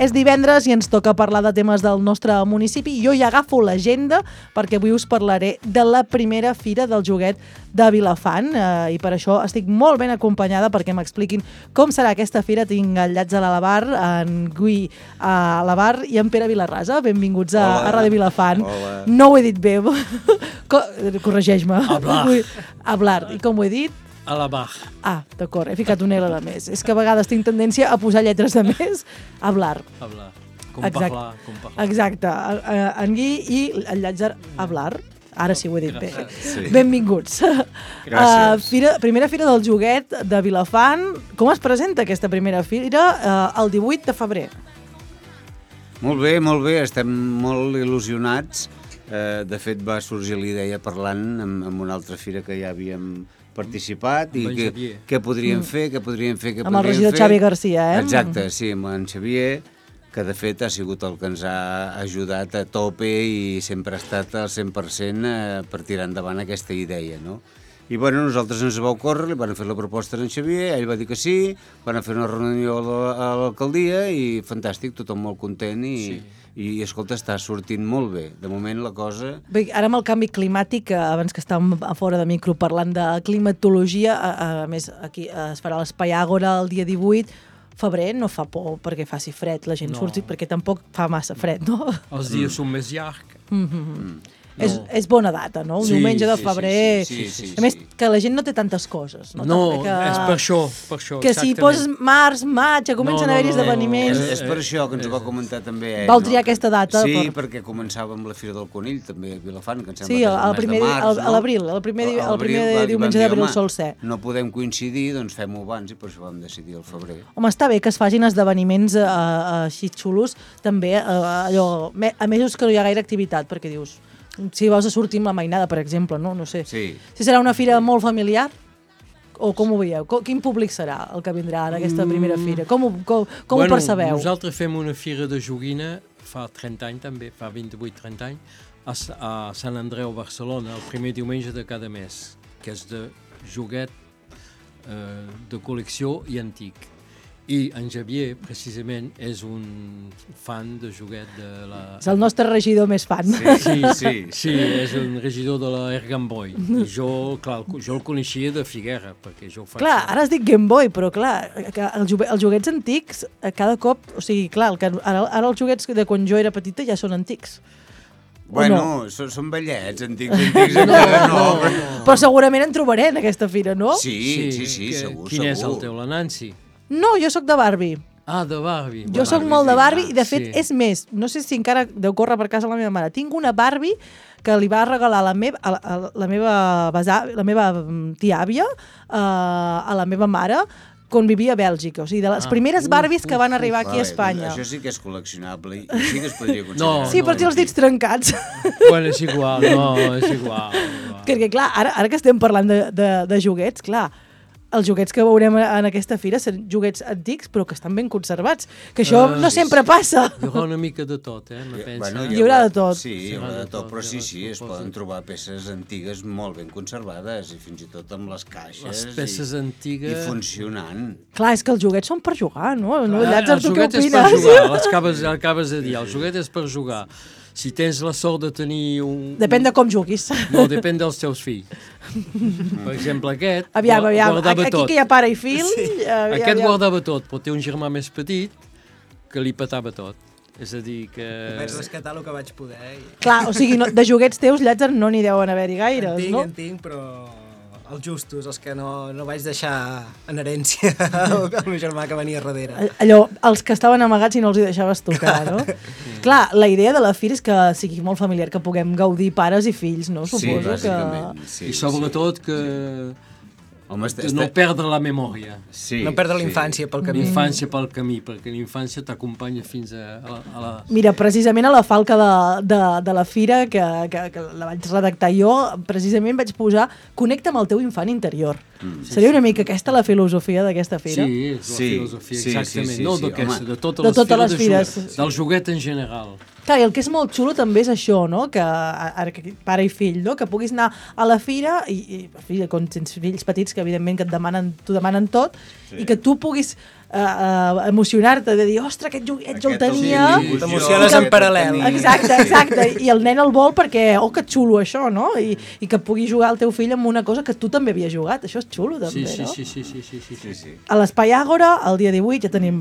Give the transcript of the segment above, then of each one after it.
És divendres i ens toca parlar de temes del nostre municipi. Jo ja agafo l'agenda perquè avui us parlaré de la primera fira del joguet de Vilafant i per això estic molt ben acompanyada perquè m'expliquin com serà aquesta fira. Tinc el Llats a l'Alabar, en Gui a l'Abar i en Pere Vilarrasa. Benvinguts a Ràdio Vilafant. Hola. No ho he dit bé. Corregeix-me. Hablar. I com ho he dit? A la bar. Ah, d'acord, he ficat una L de més. És que a vegades tinc tendència a posar lletres de més. Hablar. Com parlar. Exacte. En Gui i el Llàtzer Hablar. Ara sí ho he dit bé. Sí. Benvinguts. Gràcies. Primera fira del joguet de Vilafant. Com es presenta aquesta primera fira el 18 de febrer? Molt bé, estem molt il·lusionats. De fet, va sorgir la idea parlant amb una altra fira que ja havíem participat i què podríem fer. Amb el regidor Xavi Garcia, eh? Exacte, sí, amb en Xavier, que de fet ha sigut el que ens ha ajudat a tope i sempre ha estat al 100% per tirar endavant aquesta idea, no? I bueno, nosaltres ens va ocórrer, li van fer la proposta a en Xavier, ell va dir que sí, van fer una reunió a l'alcaldia i fantàstic, tothom molt content i escolta, està sortint molt bé. De moment la cosa... Bé, ara amb el canvi climàtic, abans que estàvem a fora de micro parlant de climatologia, a més aquí es farà l'Espai Àgora el dia 18, febrer no fa por perquè faci fred, la gent surti perquè tampoc fa massa fred, no? Els dies són més llargs. És bona data, no? Un diumenge de febrer. Sí. A més, que la gent no té tantes coses. No, és per això. Que si poses març, maig, ja comencen a haver-hi esdeveniments. És per això que ens ho va comentar també ell. Vau triar aquesta data? Sí, perquè començava amb la Fira del Conill, també a Vilafant, que em sembla que és el mes de març. A l'abril, el primer diumenge d'abril sol ser. No podem coincidir, doncs fem-ho abans i per això vam decidir el febrer. Home, està bé que es facin esdeveniments així xulos, també allò, a mesos que no hi ha gaire activitat, perquè dius... Si vols sortir amb la mainada, per exemple, no sé. Sí. Si serà una fira molt familiar, o com ho veieu? Quin públic serà el que vindrà en aquesta primera fira? Com ho percebeu? Nosaltres fem una fira de joguina fa 30 anys també, fa 28-30 anys, a Sant Andreu, Barcelona, el primer diumenge de cada mes, que és de joguet de col·lecció i antic. I en Xavier, precisament, és un fan de joguet de la... És el nostre regidor més fan. Sí, és un regidor de la Air Game Boy. I jo el coneixia de Figuera, perquè jo faig... Clar, ara es dic Game Boy, però clar, els joguets antics, cada cop... O sigui, clar, ara els joguets de quan jo era petita ja són antics. Bueno, són vellets, antics encara no. Però segurament en trobaré en aquesta fira, no? Sí, segur. Quin és el teu, la Nancy? No, jo sóc de Barbie. Ah, de Barbie. Jo sóc molt de Barbie i, de fet, és més, no sé si encara deu córrer per casa la meva mare. Tinc una Barbie que li va regalar la meva tia-àvia a la meva mare quan vivia a Bèlgica. O sigui, de les primeres Barbies que van arribar aquí a Espanya. Això sí que és col·leccionable i sí que es podria considerar. Sí, per els dits trencats. Bueno, és igual, és igual. Perquè, clar, ara que estem parlant de joguets, clar, els joguets que veurem en aquesta fira són joguets antics, però que estan ben conservats. Que això no sempre passa. Hi haurà una mica de tot, me pensa. Hi haurà de tot. Sí, hi haurà de tot, però sí, es poden trobar peces antigues molt ben conservades i fins i tot amb les caixes. Les peces antigues... I funcionant. Clar, és que els joguets són per jugar, no? El joguet és per jugar, acabes de dir, el joguet és per jugar. Si tens la sort de tenir un... Depèn de com juguis. No, depèn dels teus fills. Per exemple, aquest guardava tot. Aquí que hi ha pare i fill... Aquest guardava tot, però té un germà més petit que li petava tot. És a dir que... Vaig rescatar el que vaig poder. Clar, o sigui, de joguets teus, Llàtzer, no n'hi deuen haver-hi gaires, no? En tinc, però... els justos, els que no vaig deixar en herència al meu germà que venia darrere. Allò, els que estaven amagats i no els hi deixaves tocar, no? Clar, la idea de la fira és que sigui molt familiar, que puguem gaudir pares i fills, no? Suposo bàsicament. I sobretot que no perdre la memòria. No perdre la infància pel camí. L'infància pel camí, perquè l'infància t'acompanya fins a la... Mira, precisament a la falca de la fira, que la vaig redactar jo, precisament vaig posar connecta amb el teu infant interior. Seria una mica aquesta la filosofia d'aquesta fira? Sí, és la filosofia, exactament. No d'aquesta, de totes les fires. Del joguet en general. Clar, i el que és molt xulo també és això, no? Que ara que pare i fill, no? Que puguis anar a la fira i quan tens fills petits que evidentment que t'ho demanen tot i que tu puguis emocionar-te de dir, ostres, aquest joguet jo el tenia... T'emociones en paral·lel. Exacte, i el nen el vol perquè, que xulo això, no? I que pugui jugar el teu fill amb una cosa que tu també havies jugat, això és xulo també, no? Sí. A l'Espai Àgora, el dia 18, ja tenim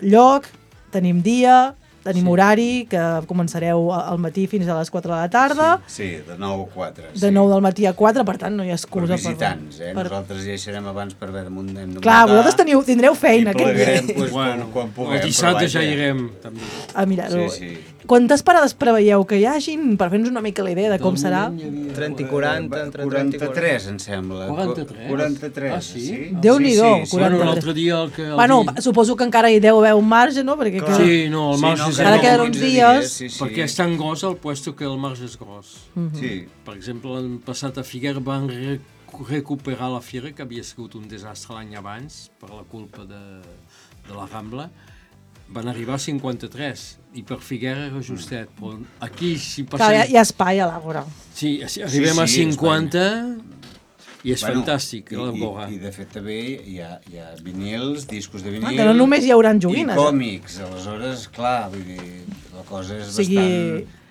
lloc, tenim dia, tenim horari, que començareu al matí fins a les 4 de la tarda. Sí, de 9 a 4. De 9 del matí a 4, per tant no hi ha excusa. Per visitants, Nosaltres ja hi serem abans per haver de muntar. Clar, vosaltres tindreu feina. I plegarem quan puguem. El dissabte ja hi irem, també. Mirar-ho. Sí. Quantes parades preveieu que hi hagin? Per fer-nos una mica la idea de com serà. 30 i 40, entre 30 i 40. 43, em sembla. 43? 43, Ah, sí? Déu-n'hi-do, 43. Bueno, l'altre dia... Bueno, suposo que encara hi deu haver un marge, no? Perquè Sí, no, el marge és encara queden uns dies. Perquè és tan gros el puesto que el marge és gros. Sí. Per exemple, l'any passat a Figueres van recuperar la fira, que havia sigut un desastre l'any abans, per la culpa de la Rambla. Van arribar a 53, i per Figueres era justet, però aquí si passem... Clar, hi ha espai a l'Àgora. Sí, arribem a 50 i és fantàstic, l'Àgora. I de fet també hi ha vinils, discos de vinil... Que no només hi haurà joguines. I còmics, aleshores, clar, vull dir, la cosa és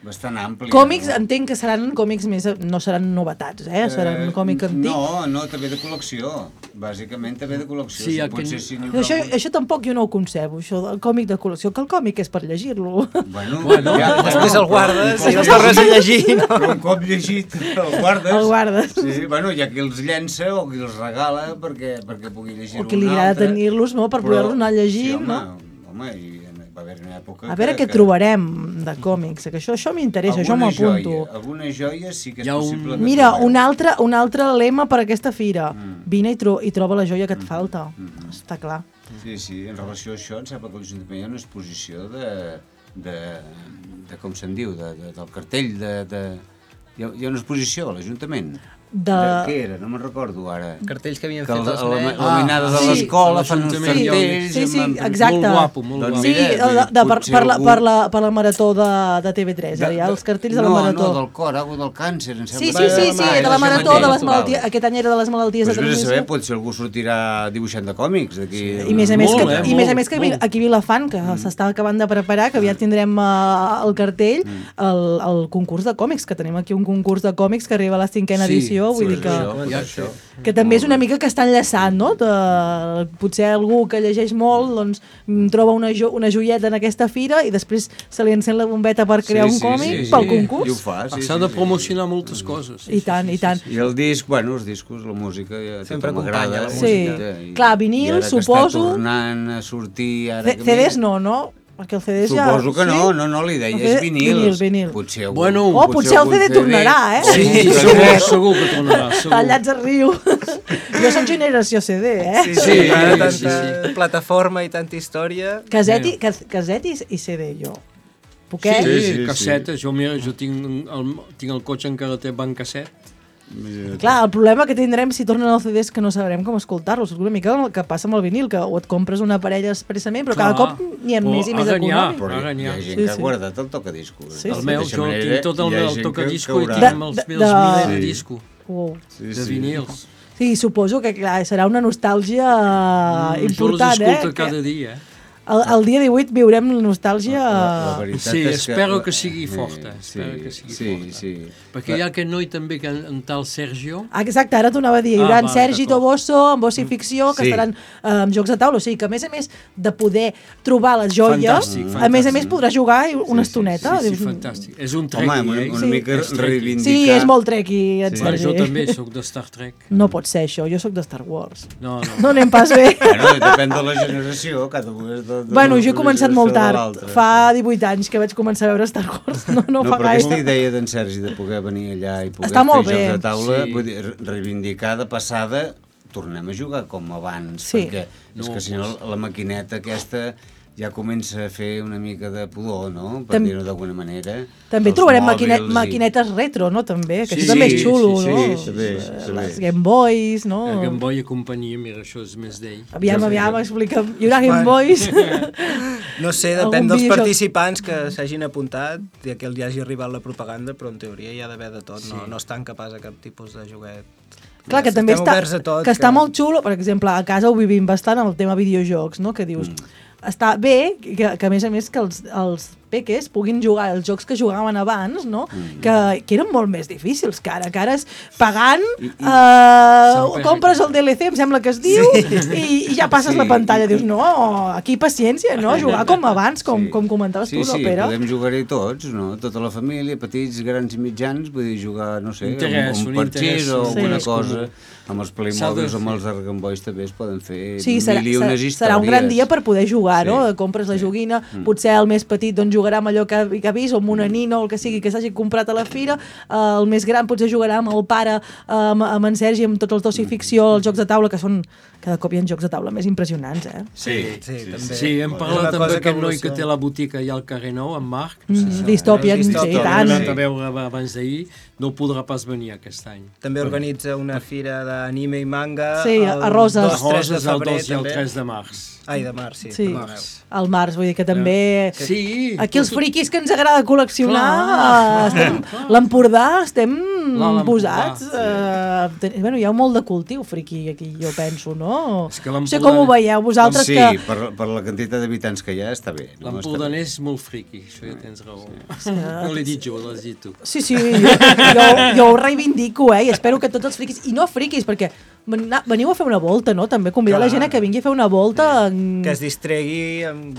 bastant àmplia. Còmics, entenc que seran còmics més... No seran novetats, seran còmic antic. No, també de col·lecció. Bàsicament també de col·lecció. Sí, això tampoc jo no ho concebo, això del còmic de col·lecció, que el còmic és per llegir-lo. Bueno, després el guardes i el tornes a llegir. Però un cop llegit el guardes. El guardes. Sí, bueno, hi ha qui els llença o qui els regala perquè pugui llegir-ho un altre. O qui li agrada tenir-los, no?, per poder-los anar llegint, no? Home, i va haver una època... A veure què trobarem de còmics, que això m'interessa, això m'ho apunto. Alguna joia sí que és possible... Mira, un altre lema per aquesta fira. Vine i troba la joia que et falta. Està clar. Sí, en relació a això, em sembla que l'Ajuntament hi ha una exposició de com se'n diu, del cartell hi ha una exposició a l'Ajuntament. Què era? No me'n recordo ara. Cartells que havien fet els nens. La minada de l'escola fan uns cartells... Sí, exacte. Molt guapo. Sí, per la marató de TV3, hi ha els cartells de la marató. No, del cor, del càncer, em Sí, sembla. de la marató de les malalties, aquest any era de les malalties de transmissió. transmissió. Potser algú sortirà dibuixant de còmics d'aquí... I més a més que aquí a Vilafant, que s'està acabant de preparar, que aviat tindrem el cartell, el concurs de còmics, que tenim aquí un concurs de còmics que arriba a la 5ª edició, vull dir que també és una mica que està enllaçant, no? Potser algú que llegeix molt doncs troba una joieta en aquesta fira i després se li encén la bombeta per crear un còmic pel concurs. I ho fa, s'ha de promocionar moltes coses. I tant. I el disc, els discos, la música... Sempre acompanya la música. Clar, vinil, suposo... I ara que està tornant a sortir... CDs no? Perquè el CD ja... Suposo que no li deia, és vinils. Vinil. Potser el CD tornarà, Sí, segur que tornarà. Tallats a riu. Jo soc generació CD, Sí, tanta plataforma i tanta història. Caset i CD, jo. Poquet? Sí, cassetes. Jo tinc el cotxe encara té banc casset. Clar, el problema que tindrem si tornen els CDs que no sabrem com escoltar-los. És una mica el que passa amb el vinil, que o et compres una parella expressament, però cada cop n'hi ha més i més econòmic. Però hi ha gent que ha guardat el tocadiscos. El meu, jo tinc tot el tocadisco i tinc els milers de disco de vinils. Sí, suposo que serà una nostàlgia important, Jo els escolto cada dia, El dia 18 viurem la nostàlgia... Sí, espero que sigui forta. Sí. Perquè hi ha aquest noi també, en tal Sergio... Exacte, ara t'ho anava a dir. Hi haurà en Sergi Toboso, en Bossa i Ficció, que estaran amb jocs de taula. O sigui que, a més de poder trobar les joies, a més podrà jugar una estoneta. Sí, fantàstic. És un treki, una mica reivindicar... Sí, és molt treki, en Sergi. Jo també soc de Star Trek. No pot ser això, jo soc de Star Wars. No anem pas bé. Depèn de la generació, cada un és Bueno, jo he començat molt tard. Fa 18 anys que vaig començar a veure Star Wars. No fa però gaire. Aquesta idea d'en Sergi de poder venir allà i poder fer jocs de taula, vull dir, reivindicar de passada, tornem a jugar com abans, perquè és que si no la maquineta aquesta ja comença a fer una mica de pudor, no? Per dir-ho d'alguna manera. També Els trobarem mòbils maquinetes retro, no? També, que Sí, això també és xulo, sí, no? també. Les Game Boys, no? El Game Boy i companyia, mira, això és més d'ell. Aviam, explica'm. Hi haurà Game Boys? No sé, Algun depèn dels videojoc. participants que s'hagin apuntat i que els hagi arribat la propaganda, però en teoria hi ha d'haver de tot, no estan capaç de cap tipus de joguet. Clar, que també Estem oberts a tot, està molt xulo, per exemple, a casa ho vivim bastant amb el tema videojocs, no? Que dius, està bé que a més que els peques puguin jugar els jocs que jugaven abans, no? Que eren molt més difícils, que ara és pagant, compres el DLC, em sembla que es diu, i ja passes la pantalla. Dius, no, aquí paciència, no? Jugar com abans, com comentaves tu, no, Pere? Podem jugar-hi tots, no? Tota la família, petits, grans i mitjans, vull dir, jugar, no sé, un parxís o alguna cosa. Amb els Playmobils o amb els Game Boys també es poden fer mil i unes històries. Serà un gran dia per poder jugar, no? Compres la joguina, potser el més petit doncs jugarà amb allò que ha vist, o amb una nina o el que sigui que s'hagi comprat a la fira, el més gran potser jugarà amb el pare, amb en Sergi, amb tots els d'oci-ficció, els jocs de taula, que són... Cada cop hi ha jocs de taula més impressionants, eh? Sí, també. Sí, hem parlat amb aquest noi que té la botiga allà al carrer Nou, en Marc. Dystopian, sí, i tant. L'hem anat a veure abans d'ahir, no podrà pas venir aquest any. També organitza una fira d'anime i manga a Roses. A Roses el 2 i el 3 de març. Ai, de març, sí. Sí, al març, vull dir que també... Sí. Aquí els friquis que ens agrada col·leccionar, l'Empordà, estem posats. Bueno, hi ha molt de cultiu friqui aquí, jo penso, no? No sé com ho veieu vosaltres que... Sí, per la quantitat d'habitants que hi ha està bé. L'empordanès és molt friqui, això ja tens raó. No l'he dit jo, l'has dit tu. Sí, jo ho reivindico, i espero que tots els friquis, i no friquis, perquè veniu a fer una volta, no? També convidar la gent a que vingui a fer una volta. Que es distregui amb...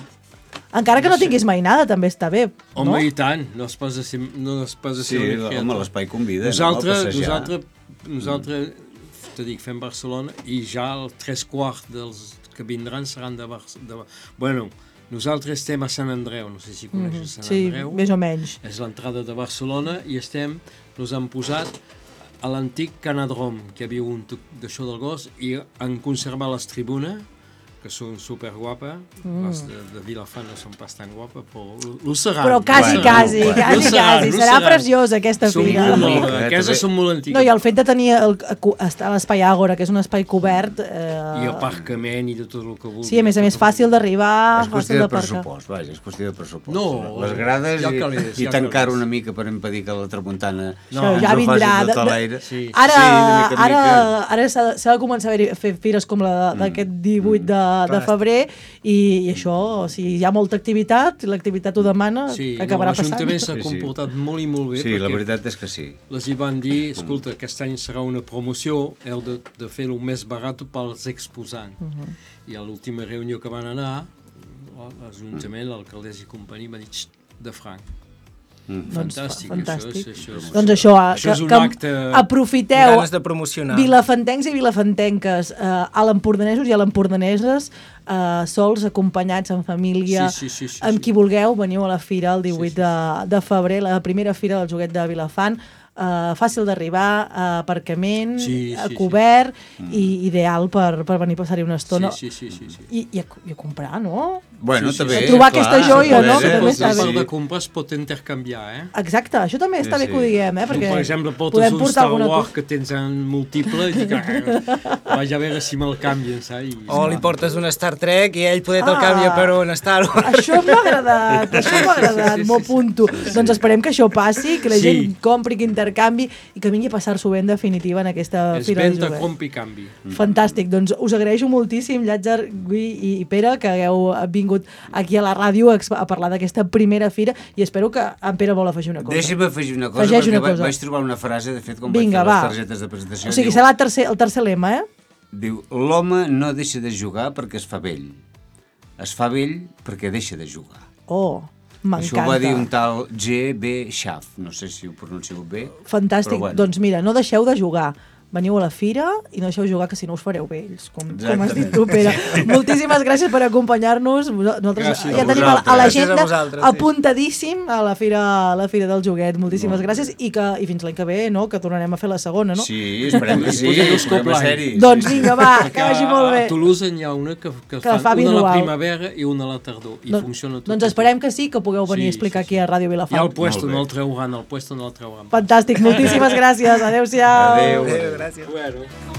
Encara que no tinguis mai nada, també està bé, no? Home, i tant, no es posa a ser home, l'espai convida, nosaltres te dic, fem Barcelona i ja el 3/4 dels que vindran seran de Barcelona. Bueno, nosaltres estem a Sant Andreu, no sé si coneixes Sant Andreu. Sí, més o menys. És l'entrada de Barcelona i nos han posat a l'antic Canadrom, que hi havia un d'això del gos, i han conservat les tribunes, que són superguapes. Les de Vilafant no són pas tan guapes, però ho seran. Però quasi. Serà preciosa aquesta fira. Aquestes són molt antigues. No, i el fet de tenir l'espai Àgora, que és un espai cobert... I aparcament i de tot el que vulguis. Sí, a més d'arribar... És qüestió de pressupost, vaja, és qüestió de pressupost. No, les grades i tancar una mica per impedir que la tramuntana ja vindrà. Ara s'ha de començar a fer fires com la d'aquest 18 de febrer i això, o sigui, hi ha molta activitat, l'activitat ho demana, acabarà passant. L'Ajuntament s'ha comportat molt i molt bé. Sí, la veritat és que sí. Les hi van dir, escolta, aquest any serà una promoció, heu de fer-ho més barat pels exposants. I a l'última reunió que van anar, l'Ajuntament, l'alcaldessa i companyia va dir, de franc. Fantàstic. Doncs això és un acte... Aprofiteu, ganes de promocionar. Vilafantencs i vilafantenques, a l'empordanesos i a l'empordaneses, sols, acompanyats en família, amb qui vulgueu, veniu a la fira el 18 de febrer, la primera fira del joguet de Vilafant, fàcil d'arribar, aparcament, cobert, i ideal per venir a passar-hi una estona. I a comprar, no? Bueno, també. A trobar aquesta joia, no? Que també està bé. El de comprar es pot intercanviar, Exacte, això també està bé que ho diguem, perquè per exemple, portes un Star Wars que tens en múltiple i dic, vaig a veure si me'l canvien, saps? O li portes un Star Trek i ell poder te'l canvia per un Star Wars. Això m'ha agradat, m'ho apunto. Doncs esperem que això passi, que la gent compri, que intercanvi i que vingui a passar-s'ho bé en definitiva en aquesta fira de joguet. És venda, compri, canvi. Fantàstic, doncs us agraeixo moltíssim, Llàtzer, Gui i Pere, que hagueu vingut aquí a la ràdio a parlar d'aquesta primera fira i espero que en Pere vol afegir una cosa. Deixa'm afegir una cosa, perquè vaig trobar una frase, de fet, quan vaig fer les targetes de presentació. O sigui, serà el tercer lema, Diu, l'home no deixa de jugar perquè es fa vell. Es fa vell perquè deixa de jugar. Oh, m'encanta. Això ho va dir un tal G.B. Schaff, no sé si ho pronuncio bé. Fantàstic, doncs mira, no deixeu de jugar. veniu a la fira i no deixeu jugar, que si no us fareu vells, com has dit tu, Pere. Moltíssimes gràcies per acompanyar-nos. Nosaltres ja tenim a l'agenda apuntadíssim a la fira del joguet. Moltíssimes gràcies i fins l'any que ve, no?, que tornarem a fer la segona, no? Sí, esperem que sí, esperem a ser-hi. Doncs vinga, va, que vagi molt bé. A Toulouse n'hi ha una que fan una a la primavera i una a la tardor, i funciona tot. Doncs esperem que sí, que pugueu venir a explicar aquí a Ràdio Vilafant. I al puesto no el treuran, Fantàstic, moltíssimes gràcies. Adéu-siau. Adéu. Gràcies. Bueno.